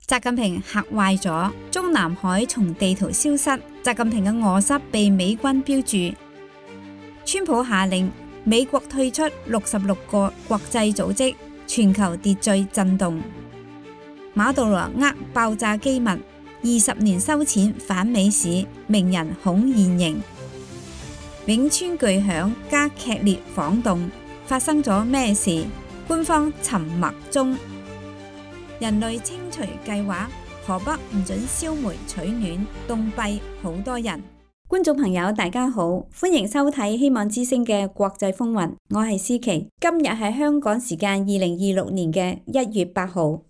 習近平嚇壞咗，中南海從地圖消失，習近平嘅臥室被美軍標注。川普下令美國退出66個國際組織，全球秩序震動。馬杜羅爆炸機密，20年收錢反美市，名人恐現形。汶川巨響加劇烈晃動，發生咗咩事？官方沉默中。人類清除計劃，河北唔准燒煤取暖，凍斃好多人。觀眾朋友大家好，歡迎收睇希望之聲嘅國際風雲，我係思琪。今日係香港時間2026年嘅1月8號。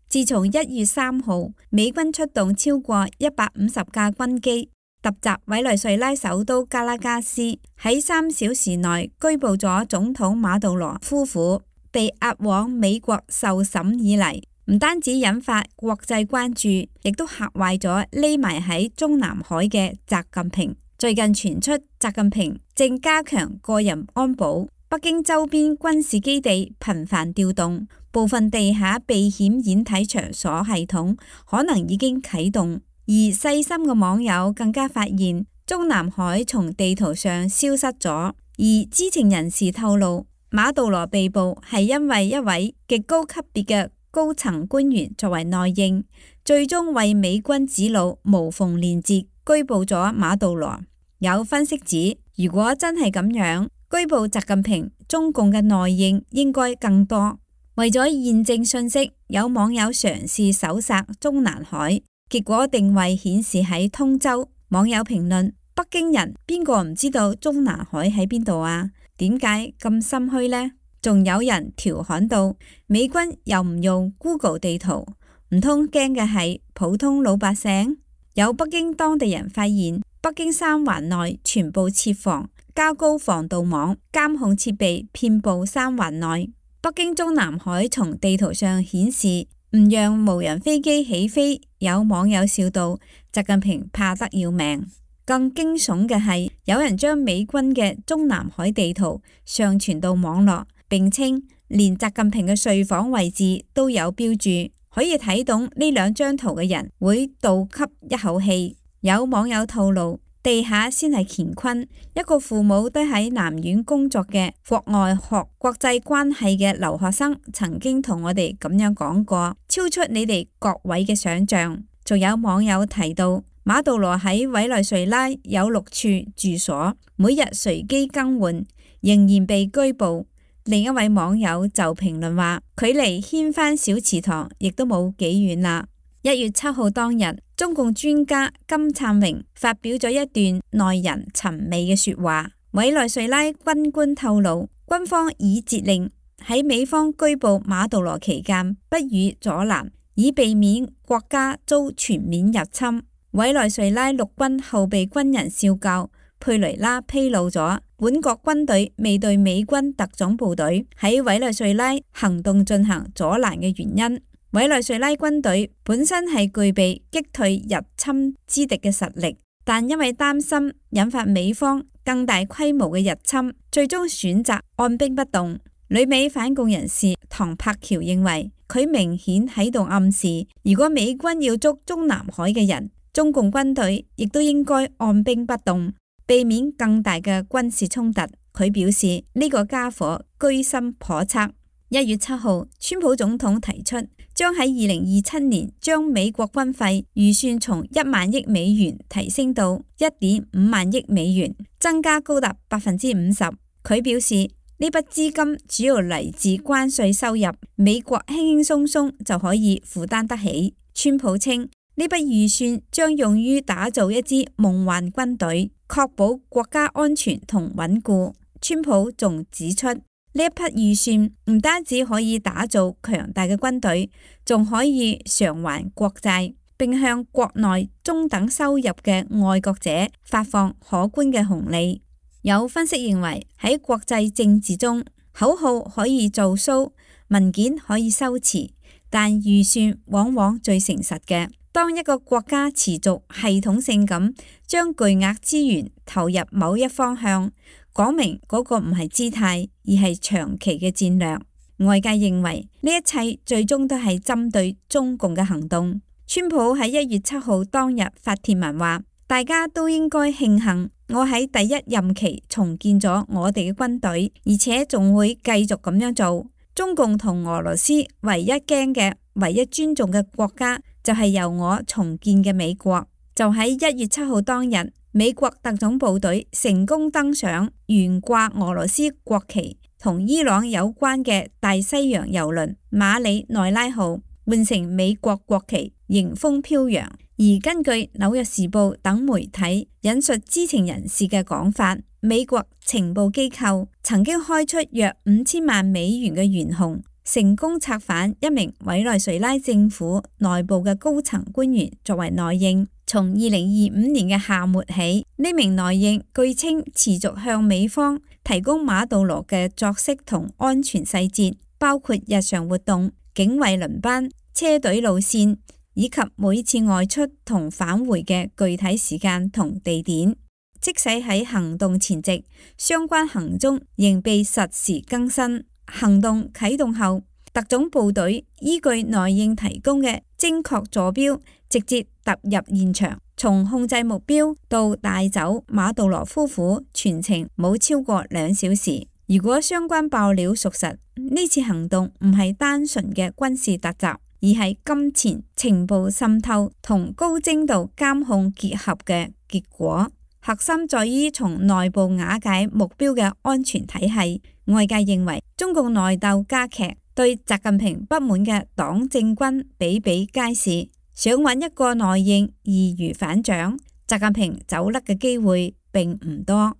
自從1月3號，美軍出動超過150架軍機，突襲委內瑞拉首都加拉加斯，喺3小時內拘捕咗總統馬杜羅夫婦，被押往美國受審以嚟，唔單止引發國際關注，亦都嚇壞咗匿埋喺中南海嘅習近平。最近傳出習近平正加強個人安保，北京周邊軍事基地頻繁調動，部分地下避險演體場所系統可能已經啟動。而細心嘅網友更加發現，中南海從地圖上消失咗。而知情人士透露，馬杜羅被捕係因為一位極高級別嘅高層官員作為內應，最終為美軍指路無縫連接，拘捕咗馬杜羅。有分析指，如果真係咁樣，拘捕習近平，中共嘅內應應該更多。為咗驗證信息，有網友嘗試搜索中南海。結果定位顯示喺通州，網友評論：北京人邊個唔知道中南海喺邊度啊？點解咁心虛呢？仲有人調侃到：美軍又唔用 Google 地圖，唔通驚嘅係普通老百姓？有北京當地人發現，北京三環內全部設防，加高防盜網，監控設備遍佈三環內。北京中南海從地圖上顯示唔讓無人飛機起飛，有網友笑道：習近平怕得要命。更驚悚嘅係，有人將美軍嘅中南海地圖上傳到網絡，並稱連習近平嘅睡房位置都有標注，可以睇懂呢兩張圖嘅人會倒吸一口氣。有網友透露，地下先係乾坤。一個父母都喺南院工作嘅國外學國際關係嘅留學生曾經同我哋咁樣講過，超出你哋各位嘅想象。仲有網友提到，馬杜羅喺委內瑞拉有6處住所，每日隨機更換，仍然被拘捕。另一位網友就評論話，距離掀翻小祠堂亦都冇幾遠啦。1月7號當日，中共專家金燦榮發表咗一段耐人尋味嘅說話。委內瑞拉軍官透露，軍方已節令喺美方拘捕馬杜羅期間不予阻攔，以避免國家遭全面入侵。委內瑞拉陸軍後備軍人少校佩雷拉披露咗，本國軍隊未對美軍特種部隊喺委內瑞拉行動進行阻攔嘅原因。委內瑞拉軍隊本身係具備擊退入侵之敵嘅實力，但因為擔心引發美方更大規模嘅入侵，最終選擇按兵不動。旅美反共人士唐柏橋認為，佢明顯喺度暗示，如果美軍要捉中南海嘅人，中共軍隊亦都應該按兵不動，避免更大嘅軍事衝突。佢表示呢個家伙居心叵測。1月7號，川普總統提出將喺2027年將美國軍費預算從1萬億美元提升到1.5萬億美元，增加高達50%。佢表示呢筆資金主要嚟自關稅收入，美國輕輕鬆鬆就可以負擔得起。川普稱呢筆預算將用於打造一支夢幻軍隊，確保國家安全同穩固。川普仲指出，呢一筆預算唔單止可以打造強大嘅軍隊，仲可以償還國債，並向國內中等收入嘅愛國者發放可觀嘅紅利。有分析認為，喺國際政治中，口號可以做 show， 文件可以修辭，但預算往往最誠實嘅。當一個國家持續系統性咁將巨額資源投入某一方向，講明嗰個唔係姿態，而係長期嘅戰略。外界認為呢一切最終都係針對中共嘅行動。川普喺1月7號當日發帖文話：大家都應該慶幸我喺第一任期重建咗我哋嘅軍隊，而且仲會繼續咁樣做。中共同俄羅斯唯一驚嘅、唯一尊重嘅國家就係由我重建嘅美國。就喺1月7號當日，美國特種部隊成功登上懸掛俄羅斯國旗同伊朗有關嘅大西洋郵輪馬里內拉號，換成美國國旗，迎風飄揚。而根據《紐約時報》等媒體引述知情人士嘅講法，美國情報機構曾經開出約5000萬美元嘅懸紅，成功策反一名委內瑞拉政府內部嘅高層官員作為內應。從2025年嘅夏末起，呢名內應據稱持續向美方提供馬杜羅嘅作息同安全細節，包括日常活動、警衛輪班、車隊路線，以及每次外出同返回嘅具體時間同地點。即使喺行動前夕，相關行蹤仍被實時更新。行動啟動後，特種部隊依據內應提供嘅精確坐標，直接踏入現場，從控制目標到帶走馬杜羅夫婦，全程冇超過2小時。如果相關爆料屬實，呢次行動唔係單純嘅軍事突襲，而係金錢、情報滲透同高精度監控結合嘅結果。核心在於從內部瓦解目標嘅安全體系。外界認為中共內鬥加劇，對習近平不滿嘅黨政軍比比皆是，想揾一個內應易如反掌，習近平走甩嘅機會並唔多。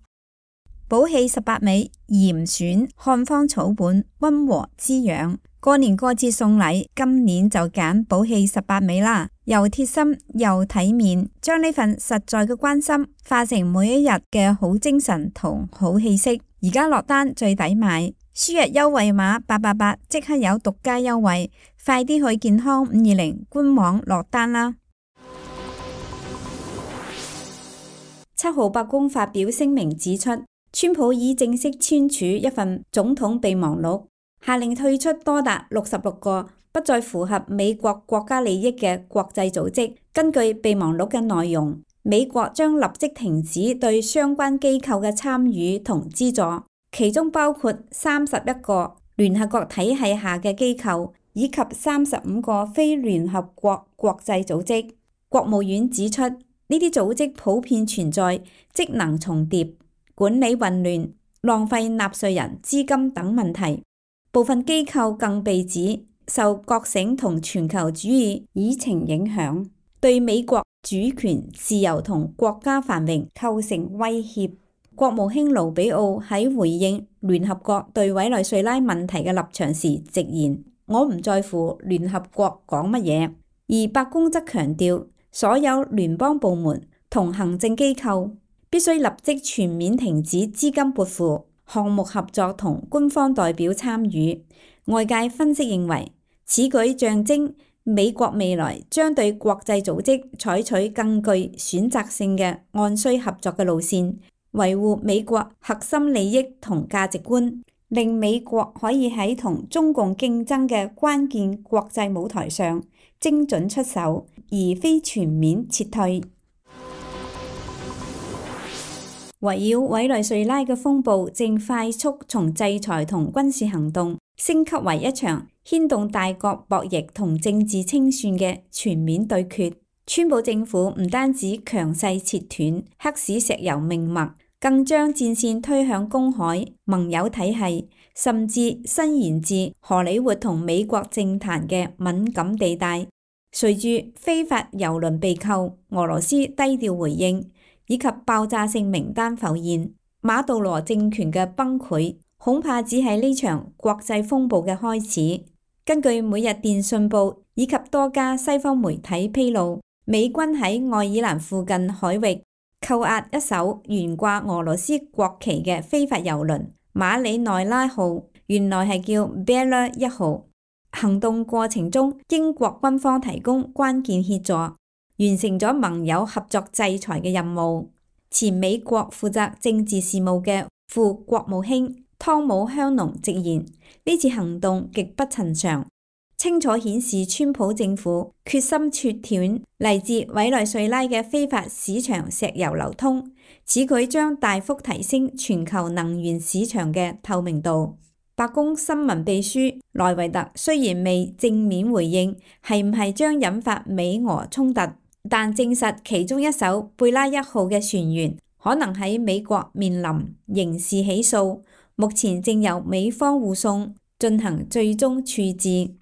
寶氣18味，嚴選漢方草本，溫和滋養。過年過節送禮，今年就揀寶氣18味啦，又貼心又體面，將呢份實在嘅關心化成每一日嘅好精神同好氣息。而家落單最抵買，輸入優惠碼888即刻有獨家優惠，快啲去健康520官網落單啦。7號白宮發表聲明指出，川普已正式簽署一份總統備忘錄，下令退出多達66個不再符合美國國家利益嘅國際組織。根據備忘錄嘅內容，美國將立即停止對相關機構嘅參與同資助，其中包括31個聯合國體系下嘅機構，以及35個非聯合國國際組織。國務院指出，呢啲組織普遍存在職能重疊、管理混亂、浪費納稅人資金等問題。部分機構更被指受覺醒同全球主義議程影響，對美國主權、自由同國家繁榮構成威脅。國務卿盧比奧喺回應聯合國對委內瑞拉問題嘅立場時直言：我唔在乎聯合國講乜嘢。而白宮則強調，所有聯邦部門同行政機構必須立即全面停止資金撥付、項目合作同官方代表參與。外界分析認為，此舉象徵美國未來將對國際組織採取更具選擇性嘅按需合作嘅路線，維護美國核心利益同價值觀，令美國可以喺同中共競爭嘅關鍵國際舞台上精準出手，而非全面撤退。圍繞委內瑞拉嘅風暴正快速從制裁同軍事行動升級為一場牽動大國博弈同政治清算嘅全面對決。川普政府唔單止強勢切斷黑市石油命脈，更將戰線推向公海、盟友體系，甚至伸延至荷里活同美國政壇嘅敏感地帶。隨住非法油輪被扣，俄羅斯低調回應，以及爆炸性名單浮現，馬杜羅政權嘅崩潰恐怕只係呢場國際風暴嘅開始。根據每日電訊報以及多家西方媒體披露，美軍喺愛爾蘭附近海域扣押一艘懸掛俄羅斯國旗嘅非法油輪馬里內拉號，原來係叫 Bella 1號。行動過程中，英國軍方提供關鍵協助，完成咗盟友合作制裁嘅任務。前美國負責政治事務嘅副國務卿湯姆香農直言，呢次行動極不尋常，清楚顯示川普政府決心切斷嚟自委內瑞拉嘅非法市場石油流通，此舉將大幅提升全球能源市場嘅透明度。白宮新聞秘書萊維特雖然未正面回應係唔係將引發美俄衝突，但證實其中一艘貝拉1號嘅船員可能喺美國面臨刑事起訴，目前正由美方護送進行最終處置。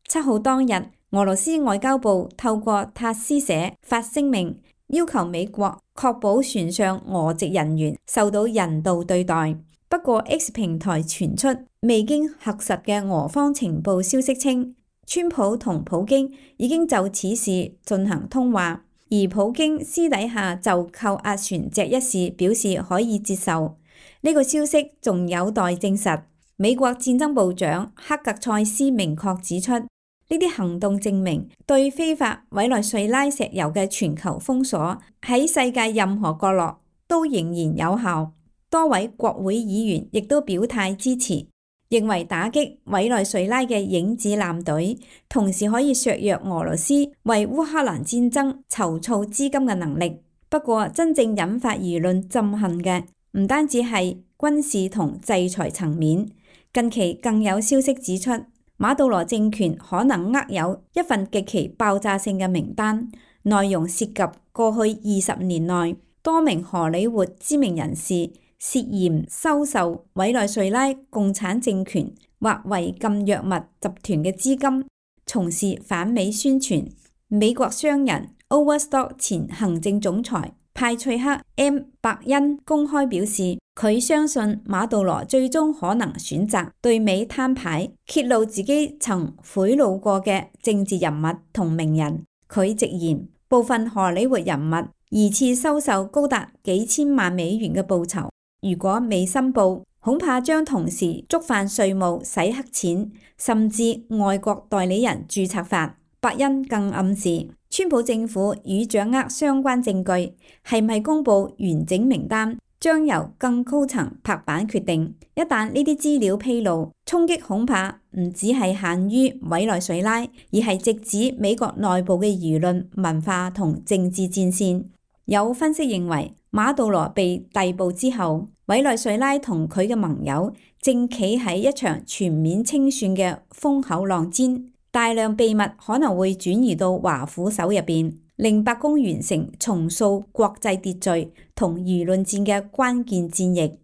7號當日，俄羅斯外交部透過塔斯社發聲明，要求美國確保船上俄籍人員受到人道對待。不過 X 平台傳出未經核實嘅俄方情報消息稱，川普同普京已經就此事進行通話，而普京私底下就扣押船隻一事表示可以接受。呢個消息仲有待證實。美國戰爭部長克格塞斯明確指出，呢啲行動證明對非法委內瑞拉石油嘅全球封鎖喺世界任何角落都仍然有效。多位國會議員亦都表態支持，認為打擊委內瑞拉嘅影子艦隊，同時可以削弱俄羅斯為烏克蘭戰爭籌措資金嘅能力。不過，真正引發輿論憎恨嘅唔單止係軍事同制裁層面，近期更有消息指出，馬杜羅政權可能握有一份極其爆炸性嘅名單，內容涉及過去20年內多名荷里活知名人士涉嫌收受委內瑞拉共產政權或違禁藥物集團嘅資金，從事反美宣傳。美國商人 Overstock 前行政總裁派翠克 M 伯恩公開表示，佢相信馬杜羅最終可能選擇對美攤牌，揭露自己曾賄賂過嘅政治人物同名人。佢直言，部分荷里活人物疑似收受高達幾千萬美元嘅報酬，如果未申報，恐怕將同時觸犯稅務、洗黑錢，甚至外國代理人註冊法。伯恩更暗示，川普政府與掌握相關證據，係唔係公佈完整名單，將由更高層拍板決定。一旦呢啲資料披露，衝擊恐怕唔只係限於委內瑞拉，而係直指美國內部嘅輿論、文化同政治戰線。有分析認為，馬杜羅被逮捕之後，委內瑞拉同佢嘅盟友正企喺一場全面清算嘅風口浪尖，大量秘密可能會轉移到華府手入邊，令白宮完成重塑國際秩序同輿論戰嘅關鍵戰役。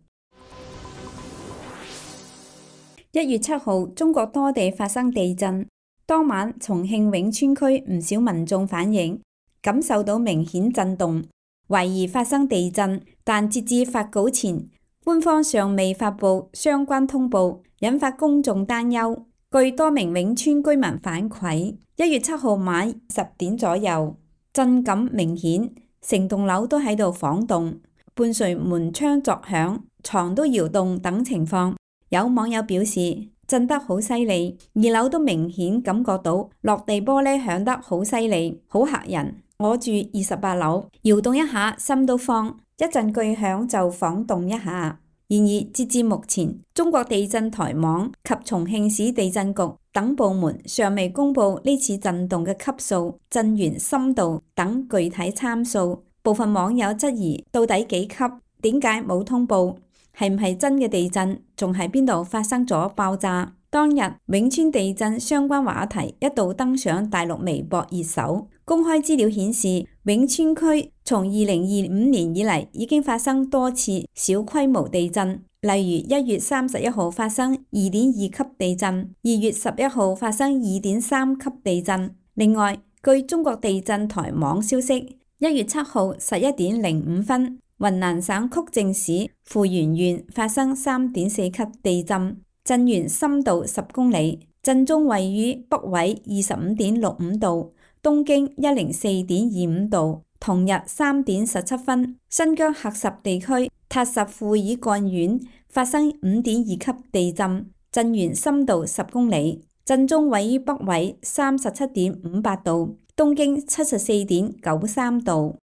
1月7號，中國多地發生地震，當晚重慶永川區唔少民眾反映感受到明顯震動，懷疑發生地震，但截至發稿前，官方尚未發布相關通報，引發公眾擔憂。據多名永川居民反饋，1月7號晚10點左右，震感明顯，成棟樓都喺度晃動，伴隨門窗作響、床都搖動等情況。有網友表示震得好犀利，2樓都明顯感覺到落地玻璃響得好犀利，好嚇人。我住28樓，搖動一下心都慌，一陣巨響就晃動一下。然而，截至目前，中國地震台網及重慶市地震局等部門尚未公布呢次震動嘅級數、震源深度等具體參數。部分網友質疑到底幾級？點解冇通報？係唔係真嘅地震？仲喺邊度發生咗爆炸？當日永川地震相關話題一度登上大陸微博熱搜。公開資料顯示，永川區從2025年以嚟已經發生多次小規模地震，例如1月31號發生2.2級地震，2月11號發生2.3級地震。另外，據中國地震台網消息，1月7號11點05分，雲南省曲靖市富源縣發生3.4級地震，震源深度10公里，震中位於北緯25.65度。東經104.25度。同日3點17分，新疆喀什地區塔什庫爾幹縣發生5.2級地震，震源深度10公里，震中位於北緯37.58度，東經74.93度。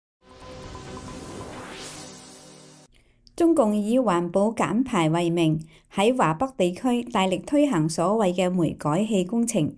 中共以環保減排為名，喺華北地區大力推行所謂嘅煤改氣工程，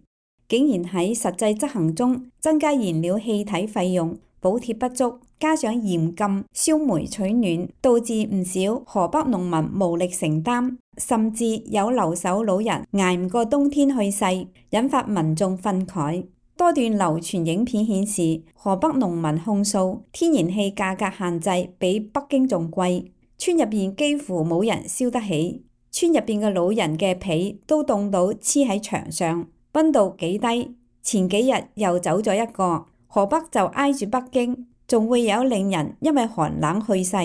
竟然喺實際執行中增加燃料氣體費用，補貼不足，加上嚴禁燒煤取暖，導致唔少河北農民無力承擔，甚至有留守老人捱唔過冬天去世，引發民眾憤慨。多段流傳影片顯示，河北農民控訴天然氣價格限制比北京仲貴，村入邊幾乎冇人燒得起，村入邊嘅老人嘅被都凍到黐喺牆上，溫度幾低。前幾日又走咗一個，河北就挨住北京，仲會有令人因為寒冷去世。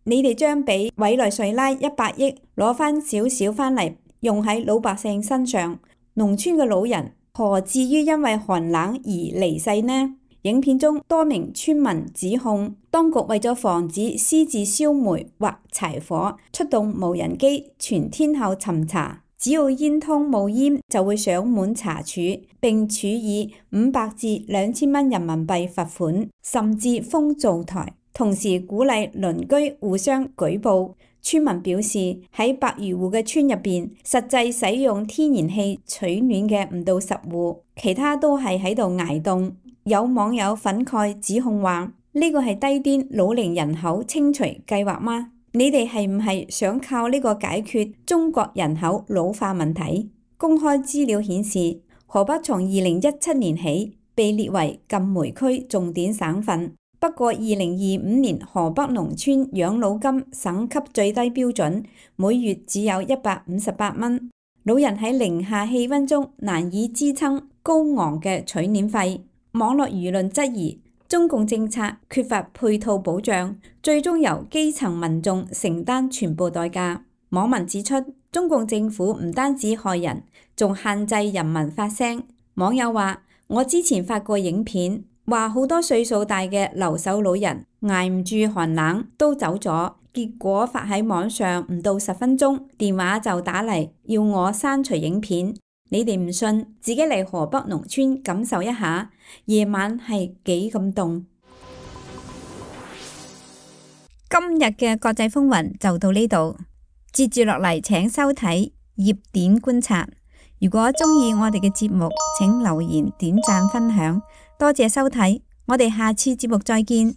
你哋將俾委內瑞拉100億攞翻少少翻嚟用喺老百姓身上，農村嘅老人何至於因為寒冷而離世呢？影片中多名村民指控當局為咗防止私自燒煤或柴火，出動無人機全天候巡查，只要煙通冒煙就會上門查處，並處以500至2000蚊人民幣罰款，甚至封灶台。同時鼓勵鄰居互相舉報。村民表示喺100餘戶嘅村入邊，實際使用天然氣取暖嘅唔到10戶，其他都係喺度捱凍。有網友憤慨指控話：呢個係低端老齡人口清除計劃嗎？你哋係唔係想靠呢個解決中國人口老化問題？公開資料顯示，河北從2017年起被列為禁煤區重點省份。不過2025年河北農村養老金省級最低標準每月只有158蚊，老人喺零下氣溫中難以支撐高昂嘅取暖費。網絡輿論質疑中共政策缺乏配套保障，最終由基層民眾承擔全部代價。網民指出，中共政府唔單止害人，仲限制人民發聲。網友話：我之前發過影片，話好多歲數大嘅留守老人捱唔住寒冷都走咗，結果發喺網上唔到10分鐘，電話就打嚟要我刪除影片。你哋唔信，自己嚟河北農村感受一下，夜晚係幾咁凍。今日嘅國際風雲就到呢度，接住落嚟請收睇熱點觀察。如果鍾意我哋嘅節目，請留言、點讚、分享。多謝收睇，我哋下次節目再見。